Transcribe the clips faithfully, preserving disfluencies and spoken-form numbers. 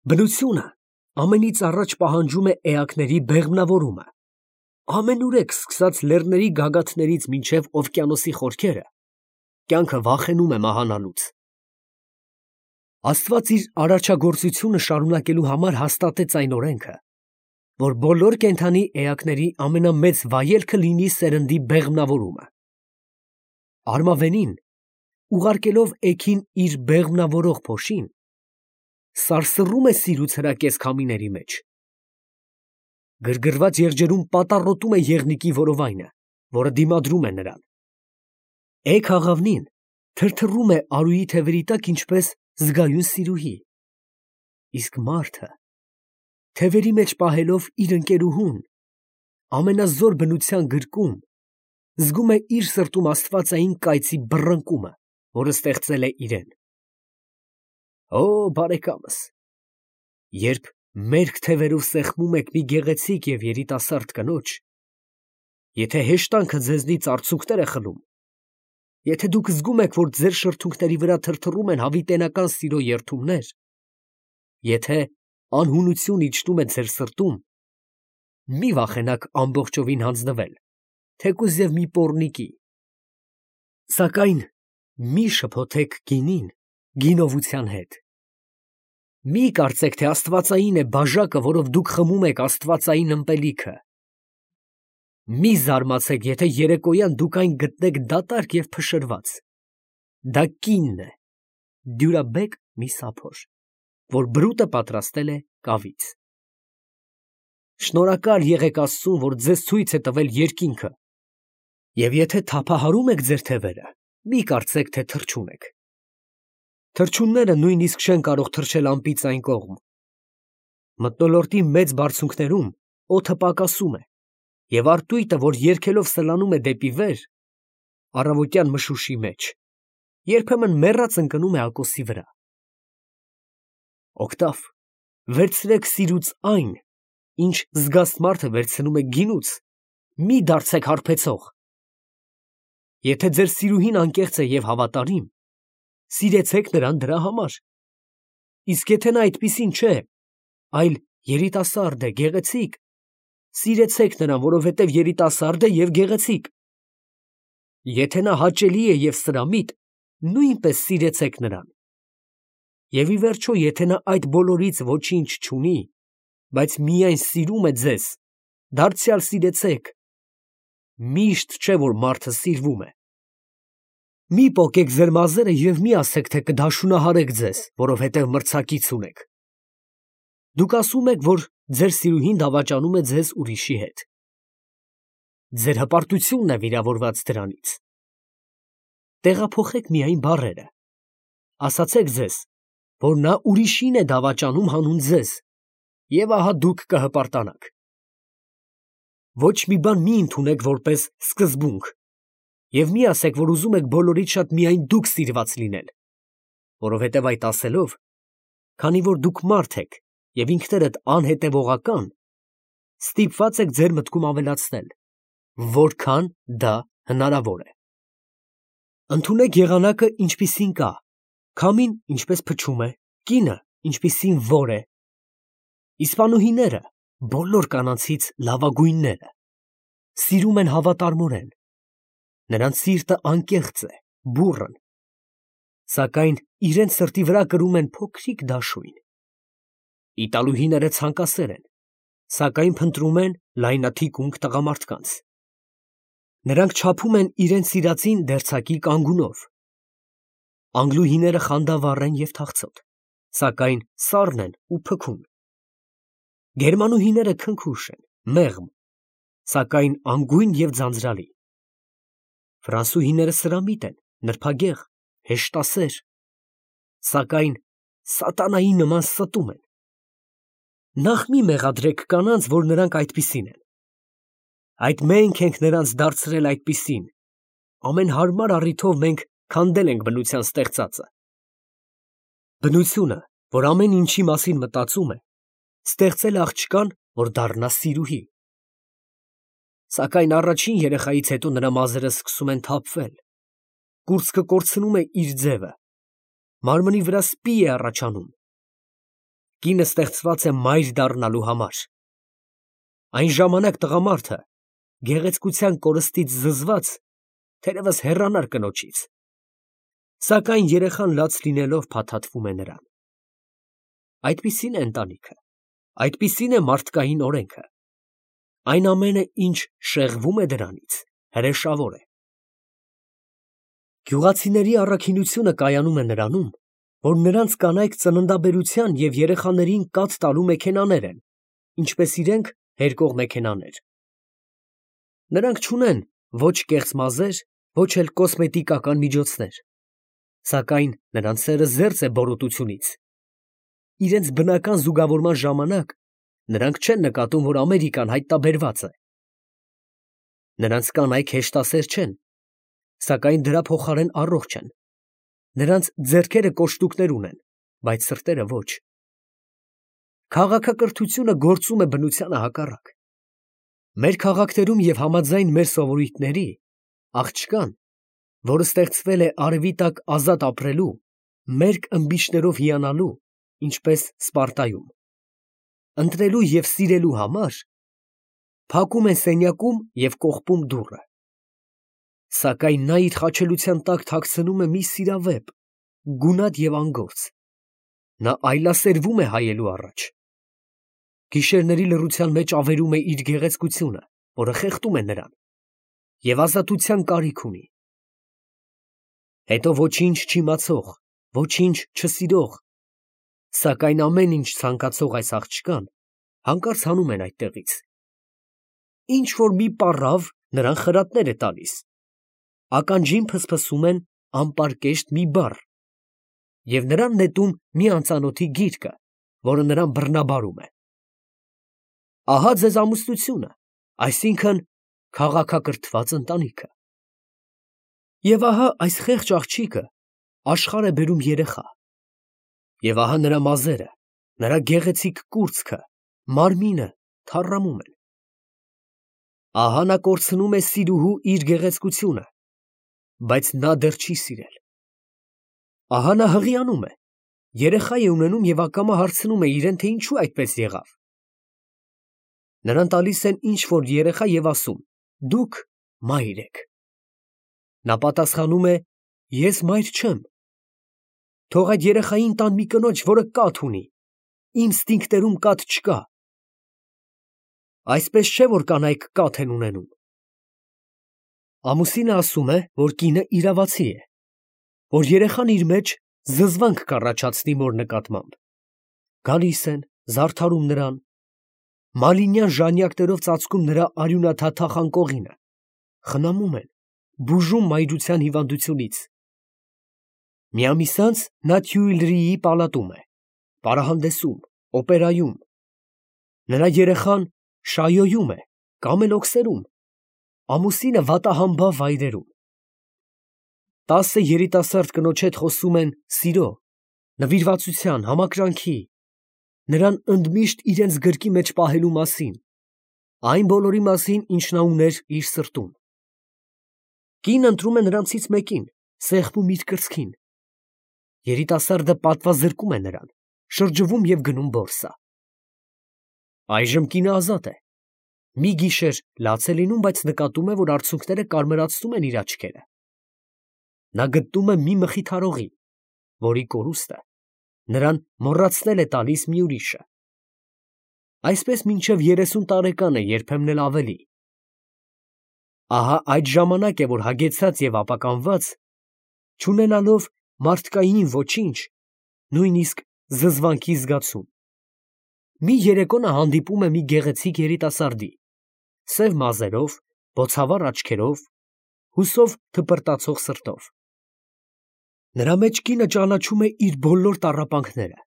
Բնությունը ամենից առաջ պահանջում է էակների բեղմնավորումը։ Ամենուրեք սկսած լեռների գագաթներից մինչև օվկիանոսի խորքերը, կյանքը վախենում է մահանալուց։ Աստված իր արարչագործությունը շարունակելու համար հաստատեց այն օրենքը, որ բոլոր կենդանի էակների ամենամեծ վայելքը լինի սերնդի բեղմնավորումը։ Արմավենին, ուղարկելով էգին իր բեղմնավորող փոշին, սարսռում է սիրուց հրակես քամիների մեջ։ Գրգռված եղջերուն պատառոտում է եղնիկի որովայնը, որը դիմադրում է նրան։ Էգ աղավնին թրթռում է արուի թևերի տակ ինչպես զգայուն սիրուհի, իսկ մարդը, թևերի մեջ պահելով իր ընկերուհուն, ամենազոր բնության գրկում, զգում է իր սրտում աստվածային կայծի բռնկումը, որը ստեղծել է իրեն։ Օ, բարեկամս, երբ մերկ թևերով սեղմում եք մի գեղեցիկ և երիտասարդ կնոջ, եթե հեշտանքը ձեզնից արցունքներ է խլում, եթե դուք զգում եք, որ ձեր շրթունքների վրա թրթռում են հավիտենական սիրո երդումներ, եթե անհունություն իջնում է ձեր սրտում, մի վախենաք ամբողջովին հանձնվել, թեկուզ և մի պոռնիկի, սակայն մի շփոթեք գինին գինովության հետ։ Մի կարծեք, թե աստվածային է բաժակը, որով դուք խմում եք աստվածային ըմպելիքը։ Մի զարմացեք, եթե երեկոյան դուք այն գտնեք դատարկ և փշրված։ Դա կինն է, դյուրաբեկ մի սափոր, որ բրուտը պատրաստել է կավից։ Շնորհակալ եղեք Աստծուն, որ ձեզ ցույց է տվել երկինքը, և եթե թափահարում եք ձեր թևերը, մի կարծեք, թե թռչուն եք։ Թռչունները նույնիսկ չեն կարող թռչել ամպից այն կողմ։ Մթնոլորտի մեծ բարձունքներում օդը պակասում է, և արտույտը, որ երգելով սլանում է դեպի վեր, առավոտյան մշուշի մեջ, երբեմն մեռած ընկնում է ակոսի վրա։ Օգտավ, վերցրեք սիրուց այն, ինչ զգաստ մարդը վերցնում է գինուց, մի դարձեք հարբեցող։ Եթե ձեր սիրուհին անկեղծ է և հավատարիմ, սիրեցեք նրան դրա համար, իսկ եթե նա այդպիսին չէ, այլ երիտասարդ է, գեղեցիկ, սիրեցեք նրան, որովհետև երիտասարդ է և գեղեցիկ։ Եթե նա հաճելի է և սրամիտ, նույնպես սիրեցեք նրան։ Եվ ի վերջո, եթե նա այդ բոլորից ոչինչ չունի, բայց միայն սիրում է ձեզ, դարձյալ սիրեցեք։ Միշտ չէ, որ մարդը սիրվում է։ Մի պոկեք ձեր մազերը և մի ասեք, թե կդաշունահարեք ձեզ, որովհետև մրցակից ունեք։ Դուք ասում եք, որ ձեր սիրուհին դավաճանում է ձեզ ուրիշի հետ։ Ձեր հպարտությունն է վիրավորված դրանից։ Տեղափոխեք միայն բառերը։ Ասացեք ձեզ, որ նա ուրիշին է դավաճանում հանուն ձեզ, և ահա դուք կհպարտանաք։ Ոչ մի բան մի ընդունեք որպես սկզբունք, և մի ասեք, որ ուզում եք բոլորից շատ միայն դուք սիրված լինել, որովհետև այդ ասելով, քանի որ դուք մարդ եք և ինքներդ անհետևողական, ստիպված եք ձեր մտքում ավելացնել, որքան դա հնարավոր է։ Ընդունեք եղանակը, ինչպիսին կա, քամին ինչպես փչում է, կինը ինչպիսին որ է։ Իսպանուհիները, բոլոր կանանցից լավագույնները, սիրում են հավատարմորեն, նրանց սիրտը անկեղծ է, բուռն, սակայն իրենց սրտի վրա կրում են փոքրիկ դաշույն։ Իտալուհիները ցանկասեր են, սակայն փնտրում են լայնաթիկունք տղամարդկանց։ Նրանք չափում են իրենց սիրածին դերձակի կանգունով։ Անգլուհիները խանդավառ են և թախծոտ, սակայն սառն են ու փքուն։ Գերմանուհիները քնքուշ են, մեղմ, սակայն անգույն և ձանձրալի։ Ֆրանսուհիները սրամիտ են, նրբագեղ, հեշտասեր, սակայն սատանայի նման ստում են։ Նախ մի մեղադրեք կանանց, որ նրանք այդպիսին են։ Այդ մենք ենք նրանց դարձրել այդպիսին, ամեն հարմար առիթով մենք քանդել ենք բնության ստեղծածը։ Բնությունը, որ ամեն ինչի մասին մտածում է, ստեղծել է աղջկան, որ դառնա սիրուհի։ Սակայն առաջին երեխայից հետո նրա մազերը սկսում են թափվել, կուրծքը կորցնում է իր ձևը, մարմնի վրա սպի է առաջանում։ Կինը ստեղծված է մայր դառնալու համար։ Այն ժամանակ տղամարդը գեղեցկության կորստից զզված թերևս հեռանար կնոջից, սակայն երեխան լաց լինելով փաթաթվում է նրան։ Այդպիսին է ընտանիքը, այդպիսին է մարդկային օրենքը։ Այն ամենը, ինչ շեղվում է դրանից, հրեշավոր է։ Գյուղացիների առաքինությունը կայանում է նրանում, որ նրանց կանայք ծննդաբերության և երեխաներին կաթ տալու մեքենաներ են, ինչպես իրենք հերկող մեքենաներ։ Նրանք չունեն ոչ կեղծ մազեր, ոչ էլ կոսմետիկական միջոցներ, սակայն նրանց սերը զերծ է բորոտությունից։ Իրենց բնական զուգավորման ժամանակ նրանք չեն նկատում, որ Ամերիկան հայտնաբերված է։ Նրանց կանայք հեշտասեր չեն, սակայն դրա փոխարեն առողջ են։ Նրանց ձեռքերը կոշտուկներ ունեն, բայց սրտերը ոչ։ Քաղաքակրթությունը գործում է բնությանը հակառակ։ Մեր քաղաքներում և համաձայն մեր սովորույթների, աղջկան, որը ստեղծվել է արևի տակ ազատ ապրելու, մերկ ըմբիշներով հիանալու, ինչպես Սպարտայում, ընտրելու և սիրելու համար, փակում են սենյակում և կողպում դուռը։ Սակայն նա իր խաչելության տակ թաքցնում է մի սիրավեպ, գունատ և անգործ։ Նա այլասերվում է հայելու առաջ։ Գիշերների լռության մեջ ավերում է իր գեղեցկությունը, որը խեղդում է նրան, և ազատության կարիք ունի։ Հետո ոչինչ չիմացող, ոչինչ չսիրող, սակայն ամեն ինչ ցանկացող այս աղջկան հանկարծ հանում են այդտեղից։ Ինչ֊որ մի պառավ նրան խրատներ է տալիս, ականջին փսփսում են անպարկեշտ մի բառ, և նրան նետում մի անծանոթի գիրկը, որը նրան բռնաբարում է։ Ահա ձեզ ամուսնությունը, այսինքն քաղաքակրթված ընտանիքը։ Եվ ահա այս խեղճ աղջիկը աշխարհ է բերում երեխա, և ահա նրա մազերը, նրա գեղեցիկ կուրծքը, մարմինը թառամում են։ Ահա նա կորցնում է սիրուհու իր գեղեցկությունը, բայց նա դեռ չի սիրել։ Ահա նա հղիանում է, երեխա է ունենում և ակամա հարցնում է իրեն, թե ինչու այդպես եղավ։ Նրան տալիս են ինչ֊որ երեխա և ասում. դուք մայր եք։ Նա պատասխանում է. ես մայր չեմ։ Թող այդ երեխային տան մի կնոջ, որը կաթ ունի, իմ ստինգներում կաթ չկա։ Այսպես չէ, որ կանայք կաթ են ունենում։ Ամուսինը ասում է, որ կինը իրավացի է, որ երեխան իր մեջ զզվանք կառաջացնի մոր նկատմամբ։ Գալիս են, զարդարում նրան, մալինյան ժանյակներով ծածկում նրա արյունաթաթախ անկողինը, խնամում են, բուժում մայրության հիվանդությունից։ Մի ամիս անց նա Թյուիլրիի պալատում է, պարահանդեսում, օպերայում։ Նրա երեխան շայոյում է, կամենոքսերում, ամուսինը վատահամբավ վայրերում։ Տասը երիտասարդ կնոջ հետ խոսում են սիրո, նվիրվածության, համակրանքի, նրան ընդմիշտ իրենց գրկի մեջ պահելու մասին, այն բոլորի մասին, ինչ նա ուներ իր սրտում։ Կինն ընտրում է նրանցից մեկին, սեղմում իր կրծքին։ Երիտասարդը պատվազրկում է նրան, շրջվում և գնում բորսա։ Այժմ կինը ազատ է։ Մի գիշեր լաց է լինում, բայց նկատում է, որ արցունքները կարմրացնում են իր աչքերը։ Նա գտնում է մի մխիթարողի, որի կորուստը նրան մոռացնել է տալիս մի ուրիշը։ Այսպես մինչև երեսուն տարեկան է, երբեմն էլ ավելի։ Ահա այդ ժամանակ է, որ հագեցած և ապականված, չունենալով մարդկային ոչինչ, նույնիսկ զզվանքի զգացում, մի երեկո նա հանդիպում է մի գեղեցիկ երիտասարդի, սև մազերով, բոցավառ աչքերով, հուսով թպրտացող սրտով։ Նրա մեջ կինը ճանաչում է իր բոլոր տառապանքները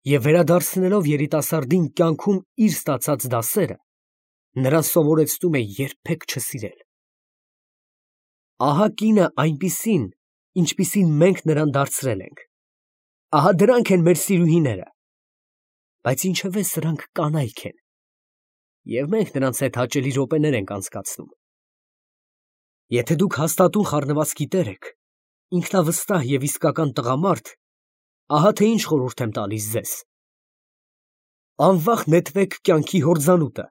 և վերադարձնելով երիտասարդին կյանքում իր ստացած դասերը, նրան սովորեցնում է երբեք չսիրել։ Ահա կինը այնպիսին, ինչպիսին մենք նրան դարձրել ենք։ Ահա դրանք են մեր սիրուհիները, բայց ինչևէ սրանք կանայք են, և մենք նրանց հետ հաճելի րոպեներ ենք անցկացնում։ Եթե դուք հաստատուն խառնվածքի տեր եք, ինքնավստահ և իսկական տղամարդ, ահա թե ինչ խորհուրդ եմ տալիս ձեզ. Անվախ նետվեք կյանքի հորձանուտը,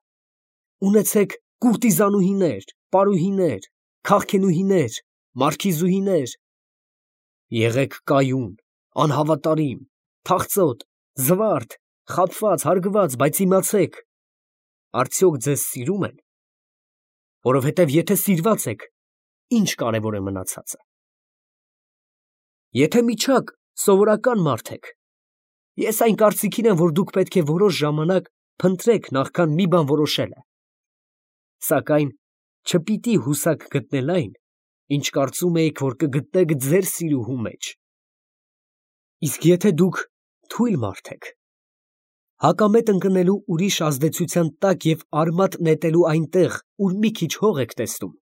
ունեցեք կուրտիզանուհիներ, պարուհիներ, քաղքենուհիներ, մարքիզուհիներ, եղեք կայուն, անհավատարիմ, թախծոտ, զվարթ, խաբված, հարգված, բայց իմացեք, արդյոք ձեզ սիրում են, որովհետև եթե սիրված եք, ինչ կարևոր է մնացածը։ Եթե միջակ սովորական մարդ եք, ես այն կարծիքին եմ, որ դուք պետք է որոշ ժամանակ փնտրեք նախքան մի բան որոշելը, սակայն չպիտի հուսակ գտնել այն, ինչ կարծում էիք, որ կգտնեք ձեր սիրուհու մեջ։ Իսկ եթե դուք թույլ մարդ եք, հակամետ ընկնելու ուրիշ ազդեցության տակ և արմատ նետելու այնտեղ, ուր մի քիչ հող եք տեսնում,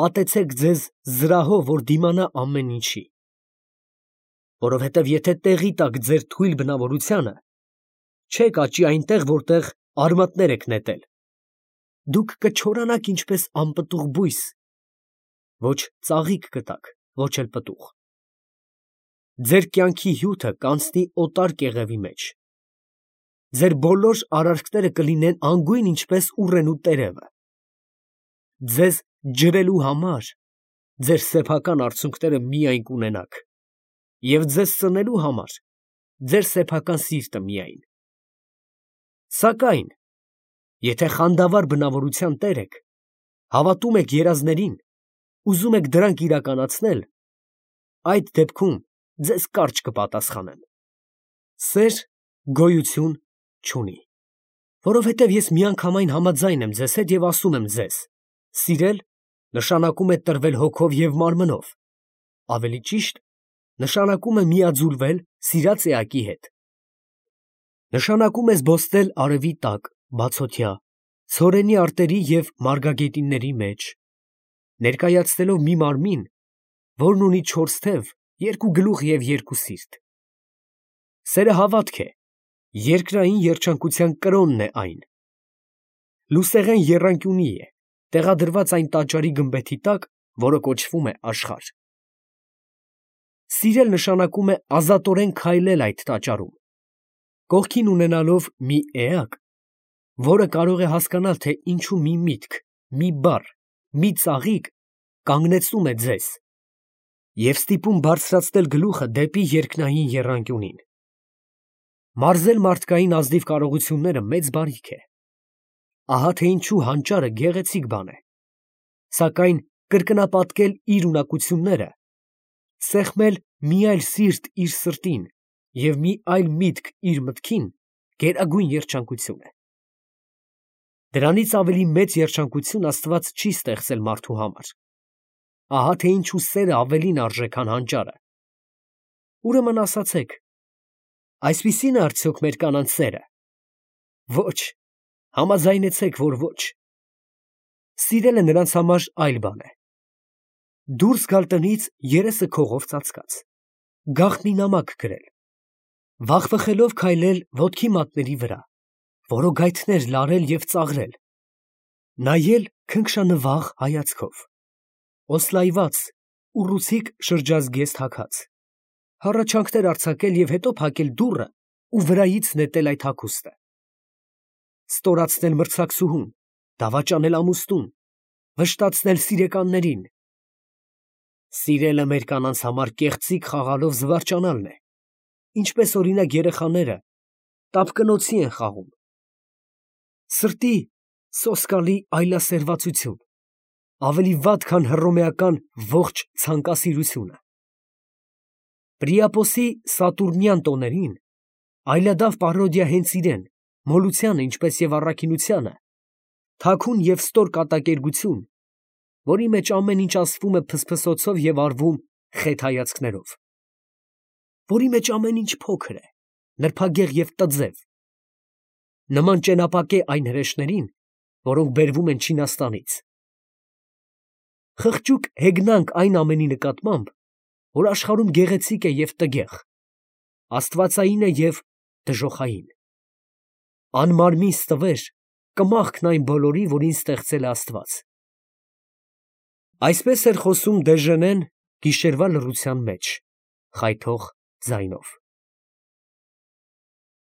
պատեցեք ձեզ զրահով, որ դիմանա ամեն ինչի, որովհետև եթե տեղի տաք ձեր թույլ բնավորությանը, չեք աճի այնտեղ, որտեղ արմատներ եք նետել, դուք կչորանաք ինչպես անպտուղ բույս, ոչ ծաղիկ կտաք, ոչ էլ պտուղ։ Ձեր կյանքի հյութը կանցնի օտար կեղևի մեջ, ձեր բոլոր արարքները կլինեն անգույն ինչպես ուռենու տերևը, ձեզ ջրելու համար ձեր սեփական արցունքները միայն կունենաք և ձեզ սնելու համար ձեր սեփական սիրտը միայն։ Սակայն, եթե խանդավառ բնավորության տեր եք, հավատում եք երազներին, ուզում եք դրանք իրականացնել, այդ դեպքում ձեզ կարճ կպատասխանեմ. սեր գոյություն չունի, որովհետև ես միանգամայն համաձայն եմ ձեզ հետ և ասում եմ ձեզ. սիրել նշանակում է տրվել հոգով և մարմնով, ավելի ճիշտ, նշանակում է միաձուլվել սիրած էակի հետ, նշանակում է զբոսնել արևի տակ, բացօթյա, ցորենի արտերի և մարգագետինների մեջ, ներկայացնելով մի մարմին, որն ունի չորս թև, երկու գլուխ և երկու սիրտ։ Սերը հավատք է, երկրային երջանկության կրոնն է այն։ Լուսեղեն եռանկյունի է, տեղադրված այն տաճարի գմբեթի տակ, որը կոչվում է աշխարհ։ Սիրել նշանակում է ազատորեն քայլել այդ տաճարում, կողքին ունենալով մի էակ, որը կարող է հասկանալ, թե ինչու մի միտք, մի բառ, մի ծաղիկ կանգնեցնում է ձեզ և ստիպում բարձրացնել գլուխը դեպի երկնային եռանկյունին։ Մարզել մարդկային ազնիվ կարողությունները մեծ բարիք է։ Ահա թե ինչու հանճարը գեղեցիկ բան է, սակայն կրկնապատկել իր ունակությունները, սեղմել մի այլ սիրտ իր սրտին և մի այլ միտք իր մտքին գերագույն երջանկություն է։ Դրանից ավելի մեծ երջանկություն Աստված չի ստեղծել մարդու համար։ Ահա թե ինչու սերը ավելին արժե, քան հանճարը։ Ուրեմն ասացեք. այսպիսի՞ն է արդյոք մեր կանանց սերը։ Ոչ, համաձայնեցեք, որ ոչ։ Սիրելը նրանց համար այլ բան է։ Դուրս գալ տնից երեսը քողով ծածկած, գաղտնի նամակ գրել, վախվխելով քայլել ոտքի մատների վրա, որոգայթներ լարել և ծաղրել, նայել քնքշանվաղ հայացքով, օսլայված, ուռուցիկ շրջազգեստ հագած, հառաչանքներ արձակել և հետո փակել դուռը ու վրայից նետել այդ հագուստը, ստորացնել մրցակցուհուն, դավաճանել ամուսնուն, վշտացնել սիրեկաններին։ Սիրելը մեր կանանց համար կեղծիք խաղալով զվարճանալն է, ինչպես օրինակ երեխաները տապկնոցի են խաղում։ Սրտի սոսկալի այլասերվածություն, ավելի վատ, քան հռոմեական ողջ ցանկասիրությունը։ Պրիապոսի սատուրնյան տոներին այլադավ պարոդիա հենց իրեն, մոլությանը, ինչպես և առաքինությանը, թաքուն և ստոր կատակերգություն, որի մեջ ամեն ինչ ասվում է փսփսոցով և արվում խետ հայացքներով, որի մեջ ամեն ինչ փոքր է, նրբագեղ և տձև, նման ճենապակե այն հրեշներին, որոնք բերվում են Չինաստանից։ Խղճուկ հեգնանք այն ամենի նկատմամբ, որ աշխարհում գեղեցիկ է և տգեղ, աստվածային է և դժոխային։ Անմարմին ստվեր, կմախքն այն բոլորի, որին ստեղծել է Աստված։ Այսպես էր խոսում Դեժենեն գիշերվա լռության մեջ, խայթող ձայնով։